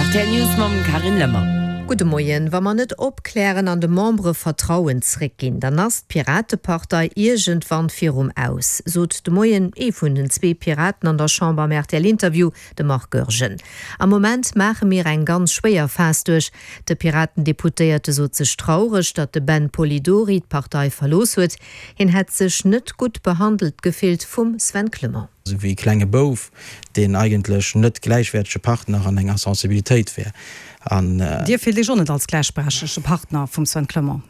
Rtl News mam Carine Lemmer. Gudde Moien. Wa mer net opklären an de Membere Vertrauen zréckginn, dann ass d'Piratepartei iergendwann virum Aus, sot de Moien ee vun den zwee Piraten an der Chamber am RTL-Interview, de Marc Goergen. Am Moment maache mir eng ganz schwéier Phas duerch. De Piraten-Deputéierte sot sech traureg, datt de Ben Polidori d'Partei verlooss huet. Hien hätt sech net gutt behandelt gefillt vum Sven Clement. Esou wéi e klenge Bouf, deen eigentlech net gläichwäertege Partner an enger Sensibilitéit wär. An. Dir fillt Iech och net als gläichberechtege Partner vum Sven Clement?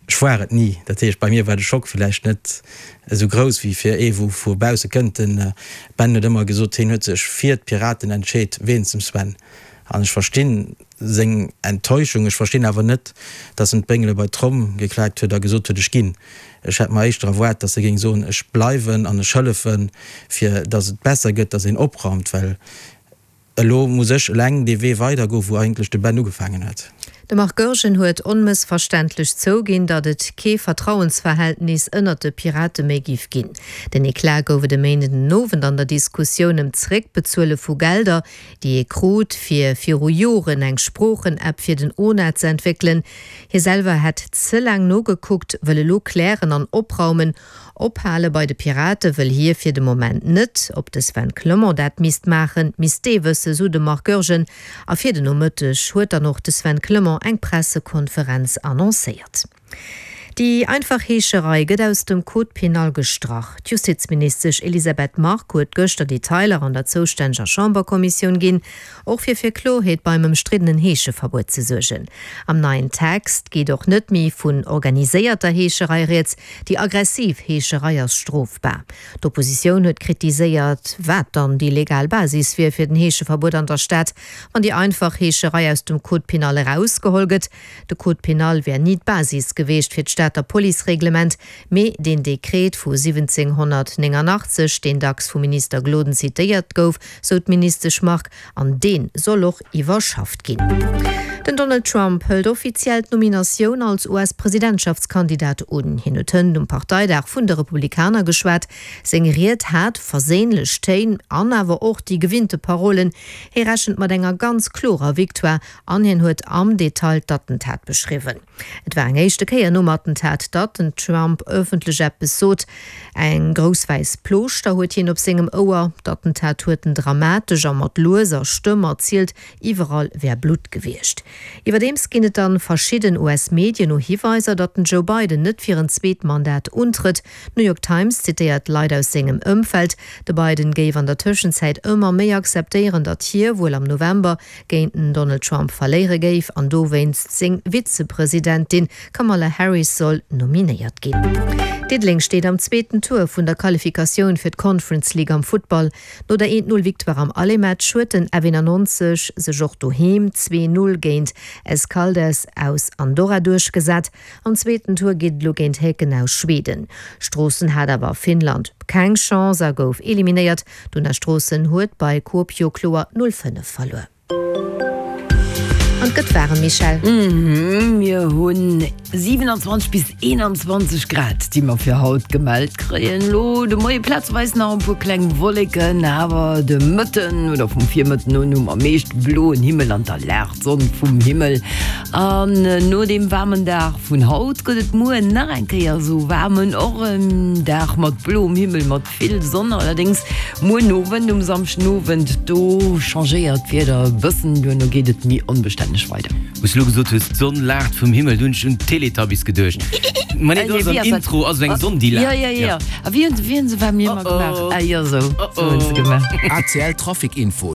Ech war et ni. Dat heescht, bei mir war de Schock villäicht net esou grouss wéi fir ee wou vu bausse kënnt. De Ben huet ëmmer gesot, hien huet sech fir d'Piraten entscheet wéinst dem Sven. An ech verstinn seng Enttäuschung. Ech verstinn awer net, datt en d'Béngele bei d'Tromm geklaakt huet a gesot huet, ech ginn. Ech hätt mer éischter erwaart, datt e géing soen, ech bleiwen an ech hëllefen, fir datt et besser gëtt, datt een opraumt. Well Elo muss ech eleng dee Wee weidergoen, wou eigentlech de Ben ugefaangen huet. De Marc Goergen huet onmëssverständlech zouginn, datt et kee Vertrauensverhältnis ënnert de Pirate méi giff ginn. Den Eclat gouf et e Méinden den Owend an der Diskussioun ëm d'Zeréckbezuele vu Gelder, déi ee krut, fir viru Joren eng Sproochen-App fir den ona ze entwéckelen. Hie selwer hätt ze laang nogekuckt, wëll elo klären an opraumen, Ophale bei de Pirate wëll hie fir de Moment net. Ob de Sven Clement dat misst maachen, misst dee wëssen, sou de Marc Goergen. A fir den Nomëtteg huet dann och de Sven Clement eng Pressekonferenz annoncéiert. Déi einfach Heescherei gëtt aus dem Code pénal gestrach. D'Justizministesch Elisabeth Margue huet gëschter Detailer an der zoustänneger Chamberkommissioun ginn, och fir fir Kloerheet beim ëmstriddenen Heescheverbuet ze suergen. Am neien Text geet och net méi vun organiséierter Heescherei rieds, Déi aggressiv Heescherei ass strofbar. D'Oppositioun huet kritiséiert, wat dann déi legal Basis wier fir den Heescheverbuet an der Stad, wann déi einfach Heescherei aus dem Code pénal erausgeholl gëtt. De Code pénal wär ni d'Basis geweecht fir d'Stater Policereglement, mee deen Dekret vu 1789, deen dacks vum Minister Gloden zitéiert gouf, sou d'Ministesch Margue. An dee soll och iwwerschafft ginn. Den Donald Trump hëlt offiziell d'Nominatioun als US-Presidentschaftskandidat un. Hien huet hënt um Parteidag vun de Republikaner geschwat. Seng Ried hat verséinlech Téin an awer och déi gewinnte Parolen. Hie rechent mat enger ganz klorer Victoire an hien huet am Detail d'Attentat beschriwwen. Et war eng éischte Kéier nom Attentat, datt den Trump ëffentlech eppes sot. Eng grouss wäiss Plooschter huet hien op sengem Ouer. D'Attentat huet en dramatesch a mat lueser Stëmm erzielt. Iwwerall wär Blutt gewiescht. Iwwerdeems ginn et a verschidden US-Medien no Hiweiser, datt den Joe Biden net fir en zweet Mandat untrëtt. D'New York Times zitéiert Leit aus sengem Ëmfeld. De Biden géif an der Tëschenzäit ëmmer méi akzeptéieren, datt hie wuel am November géint den Donald Trump verléiere géif an dowéinst seng Vizepresidentin Kamala Harris soll nominéiert ginn. Diddeleng steet am zweeten Tour vun der Qualifikatioun fir d'Conference League am Futtball. No der 1-0 Victoire am Aller-Match huet den F91 sech och doheem 2-0 géint Escaldes aus Andorra duerchgesat. Am zweeten Tour geet et elo géint Häcken aus Schweden. Stroossen hat awer a Finnland keng Chance a gouf eliminéiert. D'Una Stroossen huet bei Kuopio kloer 0, 5 verluer. An et gëtt waarem, Michèle. Mir hunn 27 bis 21 Grad, déi mer fir haut gemellt kréien. Elo de Moie plazeweis nach e puer kleng Wolleken, awer de Mëtten oder vum Virmëtten un hu mer meescht bloen Himmel an da laacht d'Sonn vum Himmel. An no deem waarmen Dag vun haut gëtt et muer nach eng Kéier esou waarm, och en Dag mat bloem Himmel, mat Vill Sonn allerdéngs muer den Owend. Um Samschdenowend do changéiert d'Wieder e bëssen, duerno geet et méi onbestänneg weider. Wou s de elo gesot hues, d'Sonn laacht vum Himmel, do hunn ech un d'Teletubbies geduecht. Ma nee, do ass am Intro ass esou eng Sonn, déi laacht. Jo, jo, jo. A wéi hunn se, wéi hunn se bei mir ëmmer gemaach? Ah jo, esou, esou hunn se gemaach. ACL Trafic Info.